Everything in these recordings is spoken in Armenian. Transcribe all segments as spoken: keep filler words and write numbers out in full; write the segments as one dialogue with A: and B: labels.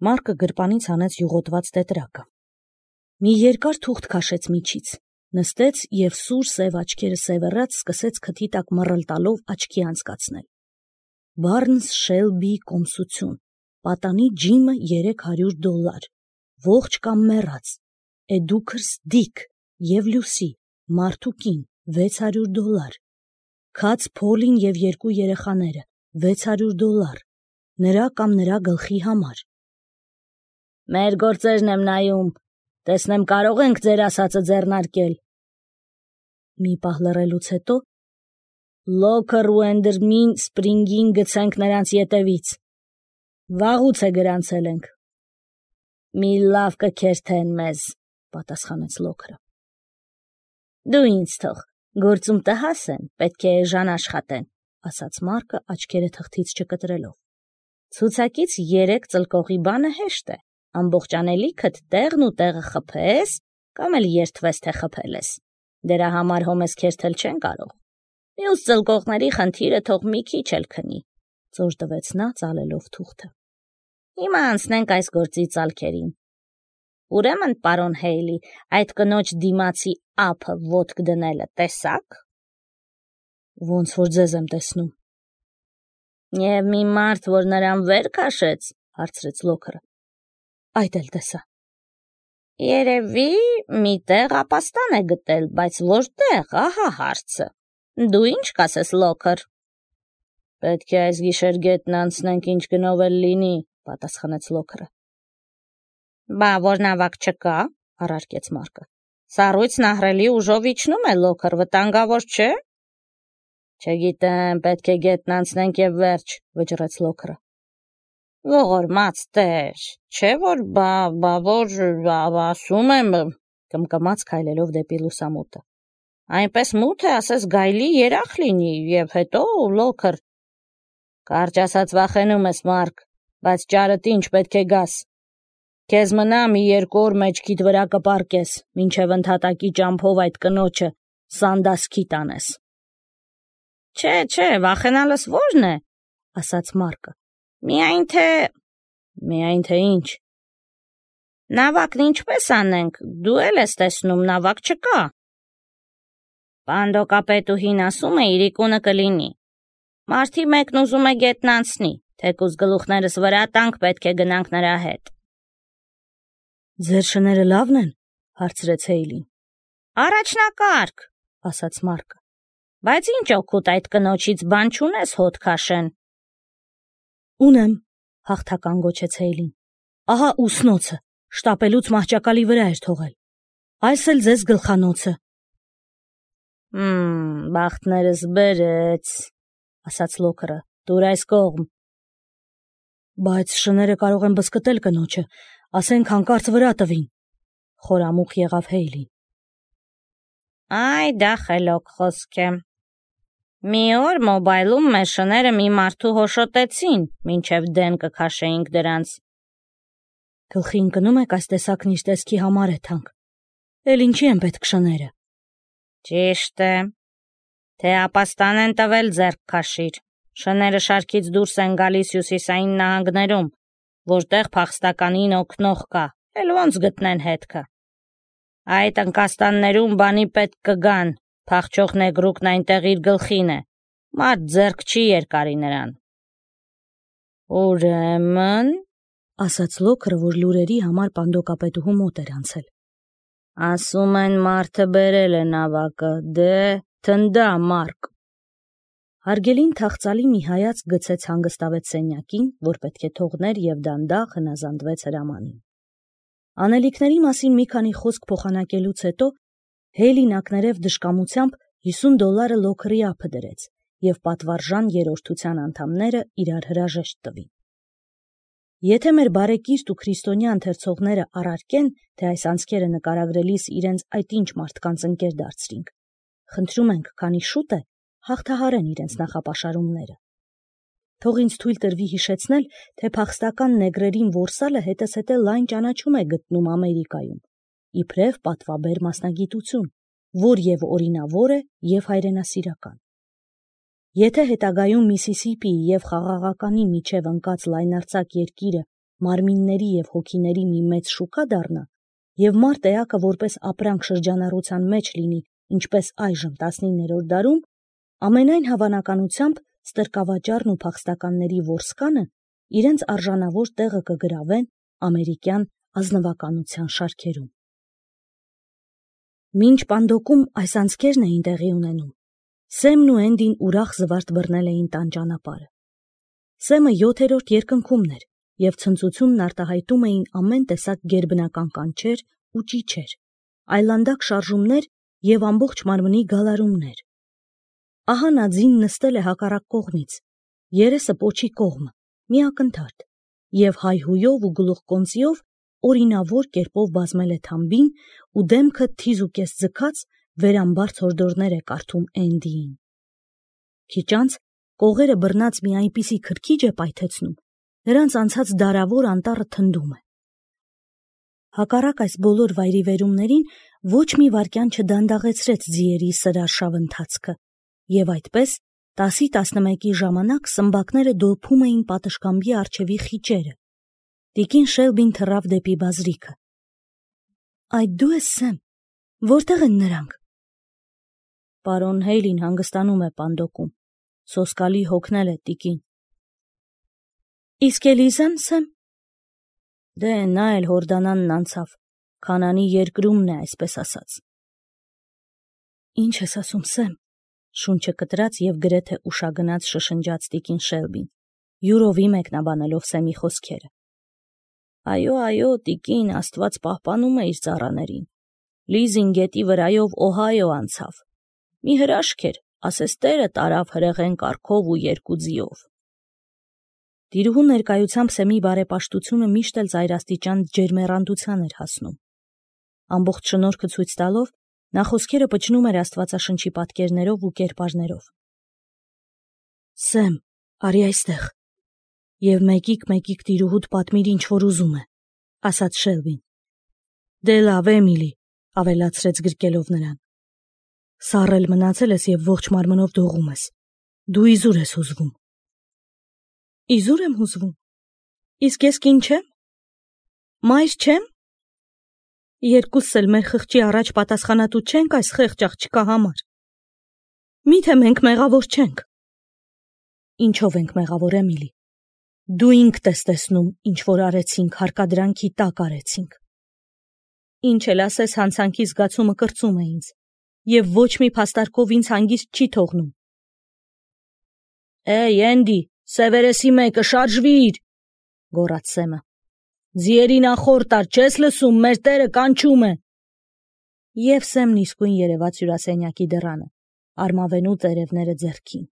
A: Մարկը գրպանից հանեց յուղոտված տետրակը։ Մի երկար թուղթ քաշեց միջից, նստեց և սուր սև աչքերը սևեռած սկսեց քթի տակ մռլ տալով աչքի անցկացնել։ Բարնս Շելբի կոմսություն, պատանի ջիմը երեք հարյուր դոլար, ողջ կամ մեռած, Էդուքրս Դիկ և Լյուսի, մարդուկին, վեց հարյուր դոլար, Քաց Փոլին և երկու երեխաները, վեց հարյուր դոլար, նրա կամ նրա գլխի համար։ Մեր գործերն եմ նայում, տեսնեմ կարող ենք ձեր ասածը ձեռնարկել։ Մի պահ լռելուց հետո Լոքեր ու Էնդերմին Սպրինգին գցենք նրանց ետևից։ Վաղուց է գրանցել ենք։ Մի լավ կքերթեն մեզ, պատասխանեց Լոքերը։ Դու ինձ թող, գործում տհաս են, պետք է էժան աշխատեն, ասաց Մարկը աչքերը թղթից չկտրելով։ Ցուցակից երեք ծլկողի բանը հեշտ է, ամբողջ անելիքդ տեղն ու տեղը խփես, կամ էլ երդվես, թե խփել ես։ Դրա համար հոմես քերթել չեն կարող։ Մյուս ծլկողների խնդիրը թող մի քիչ էլ քնի, ծոր տվեց նա ծալելով թուղթը։ Հիմա անցնենք այս գործի ծալքերին։ Ուրեմն, պարոն Հեյլի, այդ կնոջ դիմացի ափը ոտք դնելը տեսա՞ք։ Ոնց որ ձեզ եմ տեսնում։ Եվ մի մարդ, որ նրան վեր քաշեց, հարցրեց Լոքերը։ Այդ էլ տեսա։ Երևի մի տեղ ապաստան է գտել, բայց որտեղ, ահա հարցը։ Դու ինչ կասես, Լոքեր։ Պետք է այս գիշեր գետն անցնենք, ինչ գնով էլ լինի, պատասխանեց Լոքերը։ Բա որ նավակ չկա, առարկեց Մարկը։ Սառույցն ահռելի ուժով իջնում է, Լոքեր, վտանգավոր չէ։ Չգիտեմ, պետք է գետն անցնենք եւ վերջ, վճռեց Լոքերը։ Ողորմած տեր, չէ որ բա բա որ ասում եմ, կմկմաց քայլելով դեպի լուսամուտը։ Այնպես մութ է, ասես գայլի երախ լինի, եւ հետո Լոքեր։ Կարճ ասած վախենում ես, Մարկ, բայց ճարդ ինչ պետք է գաս։ Քեզ մնա մի երկու օր մեջքիդ վրա կպարկես, մինչև ընդհատակի ճամփով այդ կնոջը սանդասքի տանես։ Չէ, չէ, վախենալս ո՞րն է, ասաց Մարկը։ Միայն թե… Միայն թե ինչ։ Նավակն ինչպես անենք, դու էլ ես տեսնում, նավակ չկա։ Պանդոկապետուհին ասում է իրիկունը կլինի։ Մարդի մեկն ուզում է գետն անցնի, թեկուզ գլուխներս վրա տանք պետք է գնանք նրա հետ։ Ձեր շները լավն են, հարցրեց Հեյլին։ Առաջնակարգ, ասաց Մարկը։ Բայց ինչ օգուտ այդ կնոջից բան չունես հոտ քաշեն։ Ունեմ, հաղթական գոչեց Հեյլին։ Ահա ուսնոցը, շտապելուց մահճակալի վրա էր թողել։ Այս էլ ձեզ գլխանոցը։ Հմ, բախտներս բերեց, ասաց Լոքերը, դուր այս կողմ։ Բայց շները կարող են բզկտել կնոջը, ասենք հանկարծ վրա տվին, խորամուխ եղավ Հեյլին։ Այ դա խելոք խոսք է։ Մի օր մոբայլում մեր շները մի մարդու հոշոտեցին, մինչև դեն կքաշեինք դրանց։ Գլխի ընկնում եք այս տեսակն իր տեսքի համար է թանկ։ Էլ ինչի են պետք շները։ Ճիշտ է։ Թե ապաստան են տվել ձեռք քաշիր։ Շները շարքից դուրս են գալիս հյուսիսային նահանգներում, որտեղ փախստականին օգնող կա, էլ ոնց գտնեն հետքը։ Այդ ընկաստաններում բանի պետք կգան, փախչող նեգրուկն այնտեղ իր գլխին է, մարդ ձեռք չի երկարի նրան։ Ուրեմն, ասաց Լոքերը, որ լուրերի համար պանդոկապետուհու մոտ էր անցել։ Ասում են մարդը բերել է նավակը, դե թնդա, Մարկ։ Հարգելին թախծալի մի հայացք գցեց հանգստավեց սենյակին, որ պետք է թողներ և դանդաղ հնազանդվեց հրամանին։ Անելիքների մասին մի քանի խոսք փոխանակելուց հետո Հեյլին ակներև դժկամությամբ հիսուն դոլարը Լոքերի ափը դրեց և պատվարժան երրորդության անդամները իրար հրաժեշտ տվին։ Եթե մեր բարեկիրթ ու քրիստոնյա ընթերցողները առարկեն, թե այս անցքերը նկարագրելիս իրենց այդ ինչ մարդկանց ընկեր դարձրինք, խնդրում ենք, քանի շուտ է, հաղթահարեն իրենց նախապաշարումները։ Թող ինձ թույլ տրվի հիշեցնել, թե փախստական նեգրերին որսալը հետզհետե լայն ճանաչում է գտնում Ամերիկայում, իբրև պատվաբեր մասնագիտություն, որ և օրինավոր է, և հայրենասիրական։ Եթե հետագայում Միսիսիպիի և Խաղաղականի միջև ընկած լայնարձակ երկիրը մարմինների և հոգիների մի մեծ շուկա դառնա, և մարդ էակը որպես ապրանք շրջանառության մեջ լինի, ինչպես այժմ տասնիններորդ դարում, ամենայն հավանականությամբ ստրկավաճառն ու փախստականների որսկանը իրենց արժանավոր տեղը կգրավեն ամերիկյան ազնվականության շարքերում։ Մինչ Պանդոկում այս անցքերն էին տեղի ունենում, Սեմն ու Էնդին ուրախ զվարթ բռնել էին տան ճանապարհը։ Սեմը յոթերորդ երկնքումն էր, և ցնծությունն արտահայտում էին ամեն տեսակ գերբնական կանչեր ու ճիչեր, այլանդակ շարժումներ և ամբողջ մարմնի գալարումներ։ Ահա նա ձին նստել է հակառակ կողմից, երեսը պոչի կողմը, մի ակնթարթ, և հայհույով ու գլուխկոնծիով օրինավոր կերպով բազմել է թամբին ու դեմքը թիզուկես ձգած վերամբարձ հորդորներ է կարդում Էնդիին։ Քիչ անց կողերը բռնած մի այնպիսի քրքիջ է պայթեցնում, նրանց անցած դարավոր անտառը թնդում է։ Հակառակ այս բոլոր վայրիվերումներին ոչ մի վայրկյան չդանդաղեցրեց ձիերի սրարշավ ընթացքը, և այդպես տասի տասնմեկի ժամանակ սմբակները դոփում էին պատշգամբի առջևի խիճերը։ Տիկին Շելբին թռավ դեպի բազրիքը։ Այդ դու ես, Սեմ, որտեղ են նրանք։ Պարոն Հեյլին հանգստանում է Պանդոկում, սոսկալի հոգնել է տիկին։ Իսկ Էլիզան, Սեմ։ Դե նա էլ Հորդանանն անցավ, Քանանի երկրումն է, այսպես ասած։ Ինչ ես ասում, Սեմ, շունչը կտրած և գրեթե ուշագնաց շշնջաց տիկին Շելբին, յուրովի մեկնաբանելով Սեմի խոսքերը։ Այո, այո, տիկին, Աստված պահպանում է իր ծառաներին։ Լիզին գետի վրայով Օհայո անցավ։ Մի հրաշք էր, ասես Տերը տարավ հրեղեն կառքով ու երկու ձիով։ Տիրուհու ներկայությամբ Սեմի բարեպաշտությունը միշտ էլ ծայրաստիճան ջերմեռանդության էր հասնում։ Ամբողջ շնորհքը ցույց տալով, նա խոսքերը պչնում էր Աստվածաշնչի պատկերներով ու կերպարներով։ Սեմ, արի այստեղ, և մեկիկ-մեկիկ տիրուհուդ պատմիր ինչ որ ուզում է, ասաց Շելբին։ Դե լավ, Էմիլի, ավելացրեց գրկելով նրան։ Սառել մնացել ես և ողջ մարմնով դողում ես։ Դու իզուր ես հուզվում։ Իզուր եմ հուզվում։ Իսկ ես կին չեմ։ Մայր չեմ։ Երկուսս էլ մեր խղճի առաջ պատասխանատու չենք այս խեղճ աղջկա համար։ Միթե մենք մեղավոր չենք։ Ինչով ենք մեղավոր, Էմիլի։ Դու ինքդ ես տեսնում, ինչ որ արեցինք, հարկադրանքի տակ արեցինք։ Ինչ էլ ասես, հանցանքի զգացումը կրծում է ինձ, և ոչ մի փաստարկով ինձ հանգիստ չի թողնում։ Էй, Էնդի, Սևերեսի մեկը, շարժվիր, գոռաց Սեմը։ Ձիերի նախորդ տար, չես լսում, մեր Տերը կանչում է։ Եվ Սեմն իսկույն երևաց հյուրասենյակի դռանը, արմավենու տերևները ձեռքին։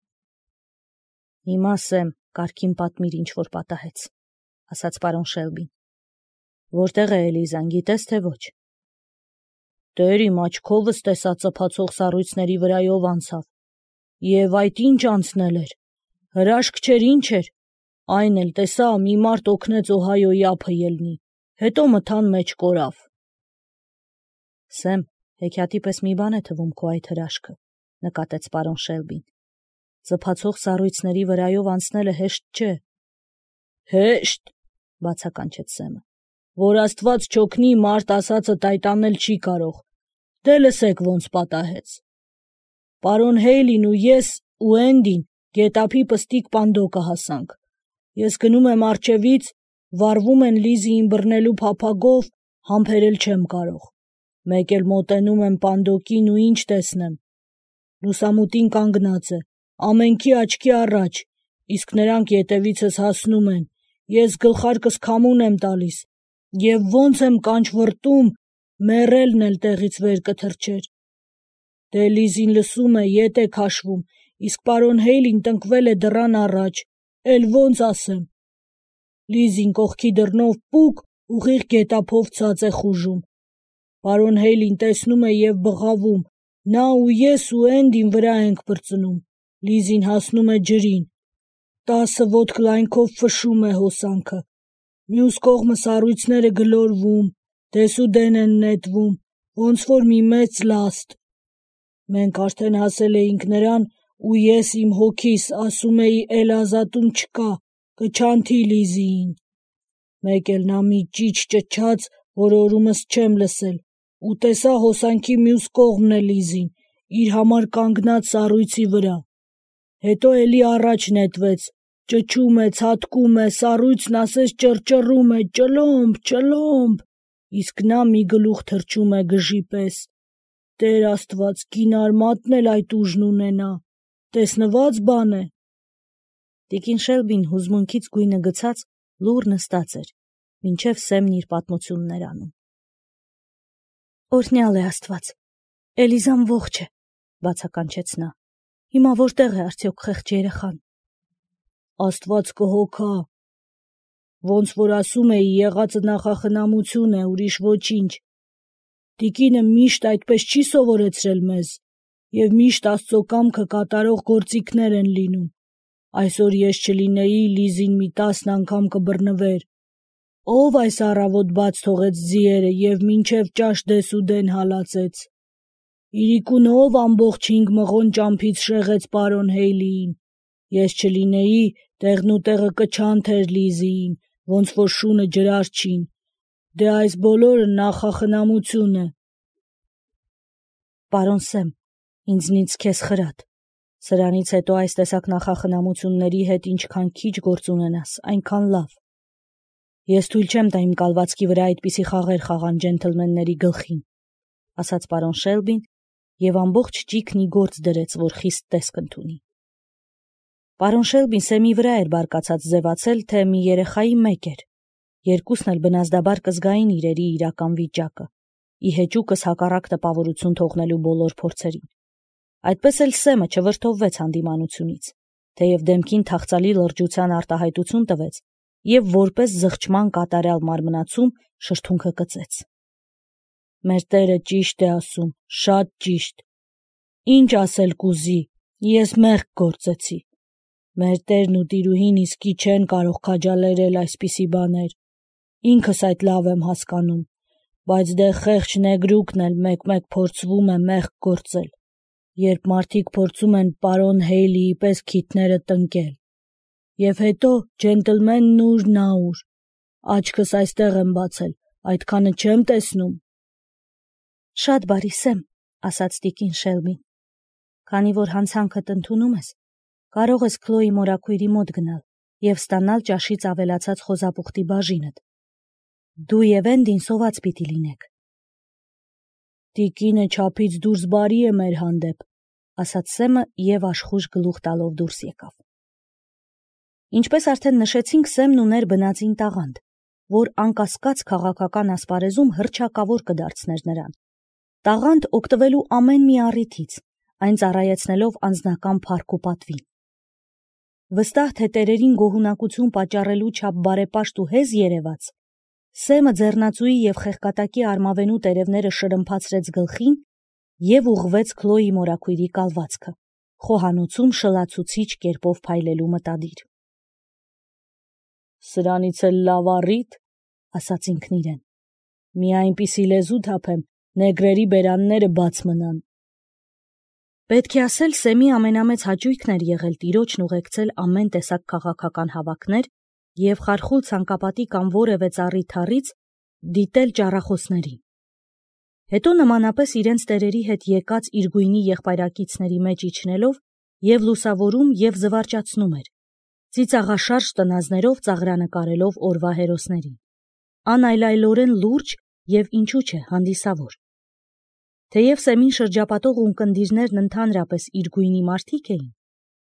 A: Հիմա, Սեմ, կարգին պատմիր, ինչ որ պատահեց, ասաց պարոն Շելբին։ Որտեղ է Էլիզան, գիտես թե ոչ։ Տեր իմ աչքովս տեսա ծփացող սառույցների վրայով անցավ։ Եվ այդ ինչ անցնել էր։ Հրաշք չէր, ինչ էր։ Այն էլ տեսա, մի մարդ օգնեց Օհայոյի ափը ելնի, հետո մթան մեջ կորավ։ Սեմ, հեքիաթի պես մի բան է թվում քո այդ հրաշքը, նկատեց պարոն Շելբին։ Ծփացող սառույցների վրայով անցնելը հեշտ չէ։ Հեշտ, բացականչեց Սեմը, որ Աստված չօգնի, մարդ ասածը տայտանել չի կարող։ Դե լսեք ոնց պատահեց։ Պարոն Հեյլին ու ես ու Էնդին գետափի պստիկ Պանդոկը հասանք։ Ես գնում եմ առջևից, վառվում են Լիզիին բռնելու փափագով, համբերել չեմ կարող։ Մեկ էլ մոտենում եմ Պանդոկին ու ինչ տեսնեմ։ Լուսամուտին կանգնած է, ամենքի աչքի առաջ, իսկ նրանք ետևիցս հասնում են, ես գլխարկս քամուն եմ տալիս, և ոնց եմ կանչ վռտում, մեռելն էլ տեղից վեր կթռչեր։ Դե Լիզին լսում է, ետ է քաշվում, իսկ պարոն Հեյլին տնկվել է դռան առաջ, էլ ոնց ասեմ։ Լիզին կողքի դռնով պուկ, ուղիղ գետափով ցած է խուժում։ Պարոն Հեյլին տեսնում է և բղավում, նա ու ես ու Էնդին վրա ենք պրծնում, Լիզին հասնում է ջրին։ Տասը ոտք լայնքով ֆշում է հոսանքը։ Մյուս կողմը սառույցները գլորվում, դեսուդեն են նետվում, ոնց որ մի մեծ լաստ։ Մենք արդեն հասել էինք նրան, ու ես իմ հոգիս ասում էի էլ ազատում չկա, կչանթի Լիզիին։
B: մեկ էլ նա մի ճիչ ճչաց, որ օրումս չեմ լսել, ու տեսա հոսանքի մյուս կողմն է Լիզին, իր համար կանգնած սառույցի վրա։ Հետո էլի առաջ նետվեց, ճչում է, ցատկում է, սառույցն ասես ճռճռում է, ճլոմբ, ճլոմբ, իսկ նա մի գլուխ թռչում է գժի պես։ Տեր Աստված, կին արմատն էլ այդ ուժն ունենա, տեսնված բան է։
A: Տիկին Շելբին հուզմունքից գույնը գցած լուռ նստած էր, մինչև Սեմն իր պատմությունն էր անում։ Օրհնյալ է Աստված, Էլիզան ողջ է, բացականչեց նա։ Հիմա որտեղ է արդյոք խեղճ երեխան։
B: Աստված կհոգա։ Ոնց որ ասում էի, եղածը նախախնամություն է, ուրիշ ոչինչ։ Տիկինը միշտ այդպես չի սովորեցրել մեզ, և միշտ Աստծո կամքը կատարող գործիքներ են լինում։ Այսօր ես չլինեի, Լիզին մի տասն անգամ կբռնվեր։ Ո՞վ այս առավոտ բաց թողեց ձիերը և մինչև ճաշ դեսուդեն հալածեց։ Իրիկուն ով ամբողջ հինգ մղոն ճամփից շեղեց պարոն Հեյլիին։ Ես չլինեի, տեղն ու տեղը կչանթեր Լիզիին, ոնց որ շունը ջրարչին։ Դե այս բոլորը նախախնամություն է։
A: Պարոն Սեմ, ինձնից քեզ խրատ։ Սրանից հետո այս տեսակ նախախնամությունների հետ ինչքան քիչ գործ ունենաս, այնքան լավ։ Ես թույլ չեմ տա իմ կալվածքի վրա այդպիսի խաղեր խաղան ջենթլմենների գլխին, ասաց պարոն Շելբին և ամբողջ ճիգն ի գործ դրեց, որ խիստ տեսք ընդունի։ Պարոն Շելբին Սեմի վրա էր բարկացած ձևացել, թե մի երեխայի մեկ էր։ Երկուսն էլ բնազդաբար կզգային իրերի իրական վիճակը, ի հեճուկս հակառակ տպավորություն թողնելու բոլոր փորձերին։ Այդպես էլ Սեմը չվրդովվեց հանդիմանությունից, թեև դեմքին թախծալի լրջության արտահայտություն տվեց և որպես զղջման կատարյալ մարմնացում շրթունքը կծեց։
B: Մեր Տերը ճիշտ է ասում, շատ ճիշտ։ Ինչ ասել կուզի, ես մեղք գործեցի։ Մեր Տերն ու տիրուհին իսկի չեն կարող քաջալերել այսպիսի բաներ։ Ինքս այդ լավ եմ հասկանում, բայց դե խեղճ նեգրուկն էլ մեկ-մեկ փորձվում է մեղք գործել, երբ մարդիկ փորձում են պարոն Հեյլիի պես քիթները տնկել։ Եվ հետո ջենտլմենն ուր, նա ուր։ Աչքս այստեղ եմ բացել, այդքանը չեմ տեսնում։
A: Շատ բարի Սեմ, ասաց տիկին Շելբին։ Քանի որ հանցանքդ ընդունում ես, կարող ես Քլոյի մորաքույրի մոտ գնալ և ստանալ ճաշից ավելացած խոզապուխտի բաժինդ։ Դու և Էնդին սոված պիտի լինեք։
B: Տիկինը չափից դուրս բարի է մեր հանդեպ,
A: ասաց Սեմը և աշխույժ գլուխ տալով դուրս եկավ։ Ինչպես արդեն նշեցինք, Սեմն ուներ բնածին տաղանդ, որ անկասկած քաղաքական ասպարեզում հռչակավոր կդարձներ նրան։ Տաղանդ օգտվելու ամեն մի առիթից, այն ծառայեցնելով անձնական փառք ու պատվին։ Վստահ թե տերերին գոհունակություն պատճառելու չափ բարեպաշտ ու հեզ երևաց, Սեմը ձեռնածուի և խեղկատակի արմավենու տերևները շրմփացրեց գլխին և ուղղվեց Քլոյի մորաքույրի կալվածքը, խոհանոցում շլացուցիչ կերպով փայլելու մտադիր։
B: Սրանից էլ լավ առիթ, ասաց ինքն իրեն, մի այնպիսի լեզու թափեմ, նեգրերի բերանները բաց մնան։
A: Պետք է ասել, Սեմի ամենամեծ հաճույքն էր եղել տիրոջն ուղեկցել ամեն տեսակ քաղաքական հավաքներ և խարխուլ ցանկապատի կամ որևէ ծառի թառից դիտել ճառախոսներին։ Հետո նմանապես իրենց տերերի հետ եկած իր գույնի եղբայրակիցների մեջ իջնելով և լուսավորում և զվարճացնում էր, ծիծաղաշարժ տնազներով ծաղրանկարելով օրվա հերոսներին, անայլայլորեն լուրջ և ինչու չէ հանդիսավոր։ Թեև Սեմին շրջապատող ունկնդիրներն ընդհանրապես իր գույնի մարդիկ էին,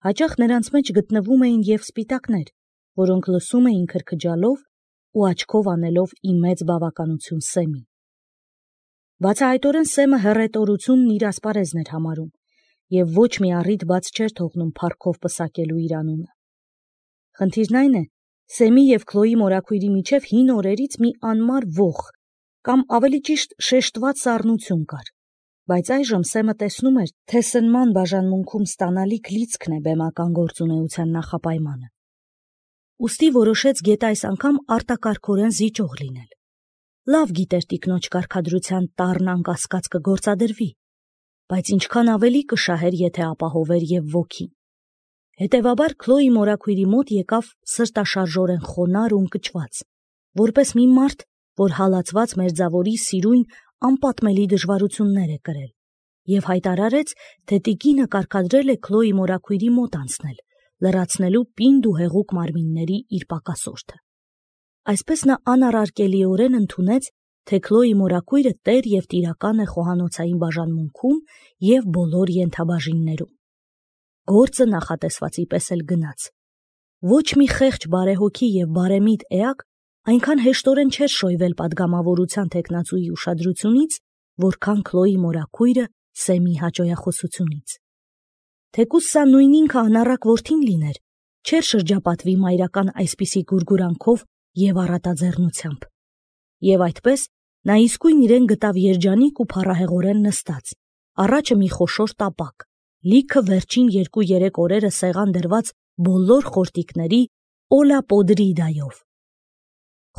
A: հաճախ նրանց մեջ գտնվում էին և սպիտակներ, որոնք լսում էին քրքջալով ու աչքով անելով ի մեծ բավականություն Սեմին։ Բացահայտորեն Սեմը հռետորությունն իր ասպարեզն էր համարում և ոչ մի առիթ բաց չէր թողնում փառքով պսակելու իր անունը։ Խնդիրն այն է, Սեմի և Քլոյի մորաքույրի միջև հին օրերից մի անմար ոխ, կամ ավելի ճիշտ շեշտված սառնություն կար, բայց այժմ Սեմը տեսնում էր, թե սնման բաժանմունքում ստանալիք լիցքն է բեմական գործունեության նախապայմանը։ Ուստի որոշեց գետը այս անգամ արտակարգորեն զիջող լինել։ Լավ գիտեր տիկնոջ կարգադրության տառն անկասկած կգործադրվի, բայց ինչքան ավելի կշահեր, եթե ապահովեր և ոգին։ Հետևաբար Քլոյի մորաքույրի մոտ եկավ սրտաշարժորեն խոնարհ ու ընկճված, որպես մի մարդ, որ հալածված մերձավորի սիրույն անպատմելի դժվարություններ է կրել, և հայտարարեց, թե տիկինը կարգադրել է Քլոյի մորաքույրի մոտ անցնել, լրացնելու պինդ ու հեղուկ մարմինների իր պակասորթը։ Այսպես նա անառարկելիորեն ընդունեց, թե Քլոյի մորաքույրը տեր և տիրական է խոհանոցային բաժանմունքում և բոլոր ենթաբաժիններում։ Գործը նախատեսվածի պես էլ գնաց։ Ոչ մի խեղճ բարեհոգի և բարեմիտ էակ այնքան հեշտորեն չէր շոյվել պատգամավորության թեկնածուի ուշադրությունից, որքան Քլոյի մորաքույրը Սեմի հաճոյախոսությունից։ Թեկուզ սա նույն ինքը անառակ որդին լիներ, չէր շրջապատվի մայրական այսպիսի գուրգուրանքով և առատաձեռնությամբ։ Եվ այդպես նա իսկույն իրեն գտավ երջանիկ ու փառահեղորեն նստած, առաջը մի խոշոր տապակ, լիքը վերջին երկու-երեք օրերը սեղան դրված բոլոր խորտիկների օլա պոդրիդայով։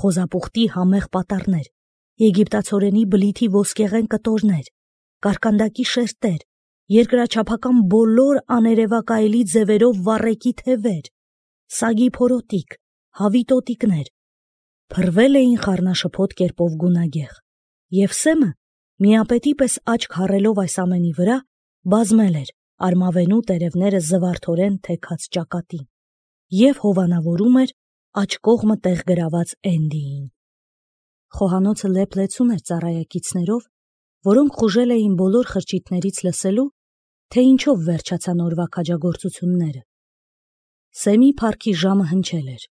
A: Խոզապուխտի համեղ պատառներ, եգիպտացորենի բլիթի ոսկեղեն կտորներ, կարկանդակի շերտեր, երկրաչափական բոլոր աներևակայելի ձևերով վառեկի թևեր, սագի փորոտիք, հավի տոտիկներ, փռվել էին խառնաշփոթ կերպով գունագեղ, և Սեմը, միապետի պես աչք հառելով այս ամենի վրա, բազմել էր արմավենու տերևները զվարթորեն թեքած ճակատին և հովանավորում էր աջ կողմը տեղ գրաված Էնդիին։ Խոհանոցը լեփ-լեցուն էր ծառայակիցներով, որոնք խուժել էին բոլոր խրճիթներից լսելու, թե ինչով վերջացան օրվա քաջագործությունները։ Սեմի փառքի ժամը հնչել էր։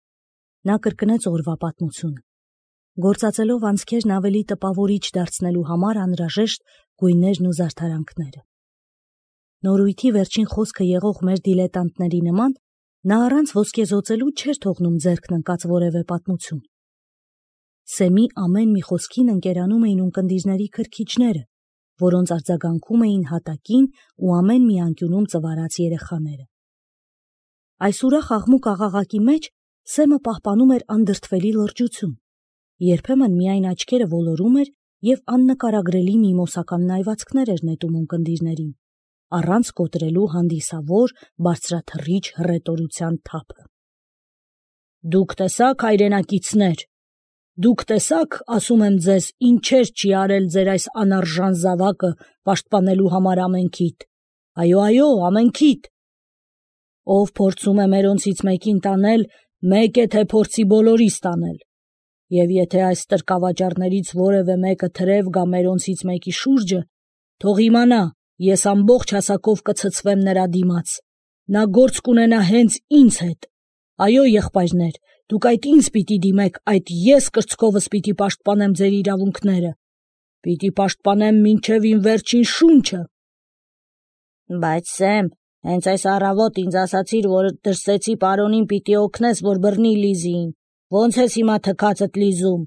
A: Նա կրկնեց օրվա պատմությունը, գործածելով անցքերն ավելի տպավորիչ դարձնելու համար անհրաժեշտ գույներն ու զարդարանքները։ Նորույթի վերջին խոսքը եղող մեր դիլետանտների նման, նա առանց ոսկեզօծելու չէր թողնում ձեռքն ընկած որևէ պատմություն։ Սեմի ամեն մի խոսքին ընկերանում էին ունկնդիրների քրքիջները, որոնց արձագանքում էին հատակին ու ամեն մի անկյունում ծվարած երեխաները։ Այս ուրախ աղմուկ աղաղակի մեջ Սեմը պահպանում էր անդրդվելի լրջություն, երբեմն միայն աչքերը ոլորում էր և աննկարագրելի միմոսական նայվածքներ էր նետում ունկնդիրներին, առանց կոտրելու հանդիսավոր, բարձրաթռիչ հռետորության թափը։ «Դուք տեսա՞ք, հայրենակիցներ, դուք տեսա՞ք, ասում եմ ձեզ, ինչեր չի արել ձեր այս անարժան զավակը պաշտպանելու համար ամենքիդ, այո, այո, ամենքիդ։ Ով փորձում է մերոնցից մեկին տանել, մեկ է, թե փորձի բոլորիս տանել, և եթե այս տրկավաճառներից որևէ մեկը թրև գա մերոնցից մեկի շուրջը, թող իմանա, ես ամբողջ հասակով կցցվեմ նրա դիմաց, նա գործ կունենա հենց ինձ հետ։ Այո, եղբայրներ, դուք այդ ինձ պիտի դիմեք, այդ ես կրծքովս պիտի պաշտպանեմ ձեր իրավունքները, պիտի պաշտպանեմ մինչև իմ վերջին շունչը»։ Բայց Սեմ, հենց այս առավոտ ինձ ասացիր, որ դրսեցի պարոնին պիտի օգնես, որ բռնի Լիզիին, ո՞նց ես հիմա թքածդ լիզում։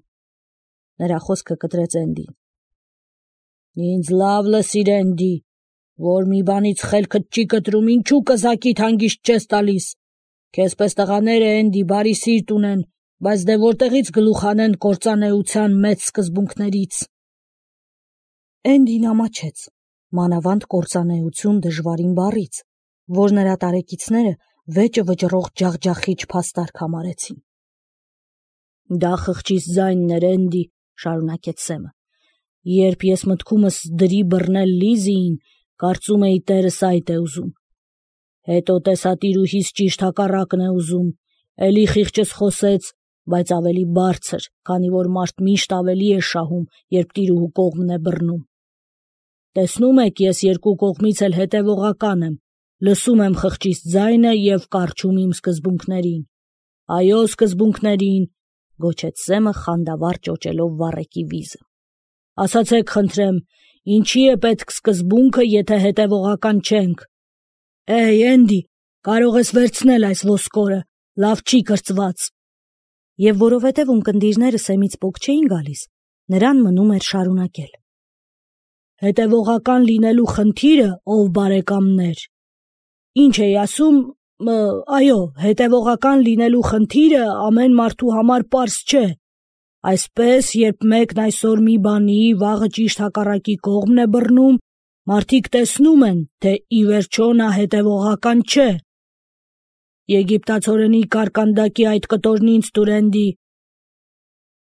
A: Նրա խոսքը կտրեց Էնդին։ Ինձ լավ լսիր, Էնդի, որ մի բանից խելքդ չի կտրում, ինչու կզակիդ հանգիստ չես տալիս։ Քեզ պես տղաները, Էնդի, բարի սիրտ ունեն, բայց դե որտեղից գլուխ անեն կործանեության մեծ սկզբունքներից։ Էնդին ամաչեց, մանավանդ կործանեություն դժվարին բառից, որ նրա տարեկիցները վեճը վճռող ջախջախիչ փաստարկ համարեցին։ Դա խղճիս ձայնն էր, Էնդի, շարունակեց Սեմը։ Երբ ես մտքումս դրի բռնել Լիզիին, կարծում էի տերս այդ է ուզում։ Հետո տեսա տիրուհիս ճիշտ հակառակն է ուզում, էլի խիղճս խոսեց, բայց ավելի բարձր, քանի որ մարդ միշտ ավելի է շահում, երբ տիրուհու կողմն է բռնում։ Տեսնում եք, ես երկու կողմից էլ հետևողական եմ, լսում եմ խղճիս ձայնը և կառչում իմ սկզբունքներին։ Այո, սկզբունքներին, գոչեց Սեմը խանդավառ ճոճելով վառեկի վիզը։ Ասացեք, խնդրեմ, ինչի է պետք սկզբունքը, եթե հետևողական չենք։ Էй, Էնդի, կարող ես վերցնել այս ոսկորը, լավ չի կրծված։ Եվ որովհետև ունկնդիրները Սեմից պոկ չէին գալիս, նրան մնում էր շարունակել. Հետևողական լինելու խնդիրը, ով բարեկամներ, ինչ էի ասում, այո, հետևողական լինելու խնդիրը ամեն մարդու համար պարզ չէ։ Այսպես, երբ մեկն այսօր մի բանի, վաղը ճիշտ հակառակի կողմն է բռնում, մարդիկ տեսնում են, թե ի վերջո նա հետևողական չէ։ Եգիպտացորենի կարկանդակի այդ կտորն ինձ տուր, Էնդի։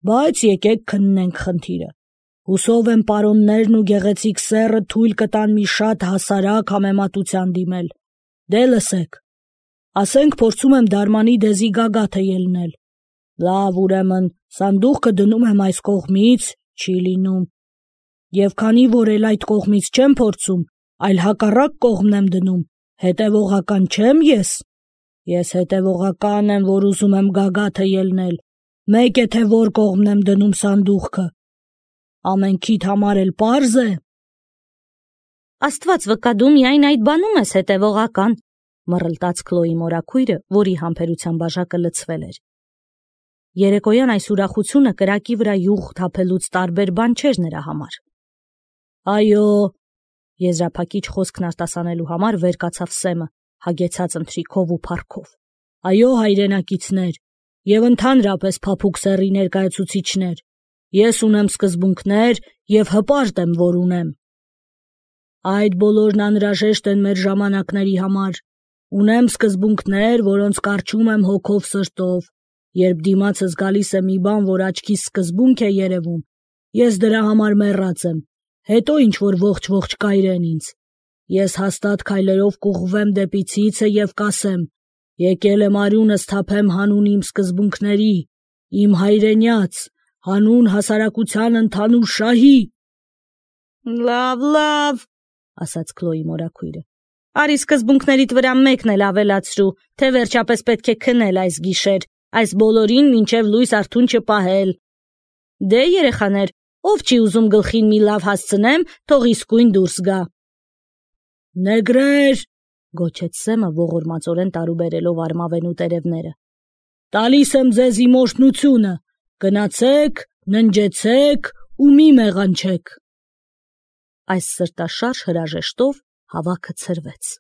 B: Բայց եկեք քննենք խնդիրը։ Հուսով եմ պարոններն ու գեղեցիկ սեռը թույլ կտան մի շատ հասարակ համեմատության դիմել։ Դե լսեք։ Ասենք փորձում եմ դարմանի դեզի գագաթը ելնել։ Լավ, ուրեմն, սանդուղքը դնում եմ այս կողմից, չի լինում։ Եվ քանի որ էլ այդ կողմից չեմ փորձում, այլ հակառակ կողմն եմ դնում, հետևողական չեմ ես։ Ես հետևողական եմ, որ ուզում եմ գագաթը ելնել։ Մեկ է թե որ կողմն եմ դնում սանդուղքը։ Ամենքիդ համար էլ պարզ է։
A: Աստված վկա, դու միայն այդ բանում ես հետևողական, մռլտաց Քլոյի մորաքույրը, որի համբերության բաժակը լցվել էր։ Երեկոյան այս ուրախությունը կրակի վրա յուղ թափելուց տարբեր բան չէր նրա համար։
B: Այո,
A: եզրափակիչ խոսքն արտասանելու համար վեր կացավ Սեմը, հագեցած ընթրիքով ու փառքով։
B: Այո, հայրենակիցներ, եւ ընդհանրապես փափուկ սեռի ներկայացուցիչներ, ես ունեմ սկզբունքներ եւ հպարտ եմ, որ ունեմ։ Այդ բոլորն անհրաժեշտ են մեր ժամանակների համար։ Ունեմ սկզբունքներ, որոնց կարճում եմ հոգով սրտով։ Երբ դիմացս գալիս է մի բան, որ աչքիս սկզբունք է երևում, ես դրա համար մեռած եմ, հետո ինչ որ ողջ-ողջ կայրեն ինձ։ Ես հաստատ քայլերով կուղղվեմ դեպի ցիցը եւ կասեմ. եկել եմ արյունս թափեմ հանուն իմ սկզբունքների, իմ հայրենյաց, հանուն հասարակության ընդհանուր շահի։
A: Լավ, լավ, ասաց Քլոյի մորաքույրը։ Արի սկզբունքներիդ վրա մեկն էլ ավելացրու, թե վերջապես պետք է քնել այս գիշեր, այս բոլորին մինչև լույս արթուն չպահել։ Դե երեխաներ, ով չի ուզում գլխին մի լավ հասցնեմ, թող իսկույն դուրս գա։
B: Նեգրեր,
A: գոչեց Սեմը ողորմածորեն տարուբերելով արմավենու տերևները։
B: Տալիս եմ ձեզ իմ օրհնությունը, գնացեք, ննջեցեք ու մի մեղանչեք։
A: Այս սրտաշարժ հրաժեշտով հավաքը ցրվեց։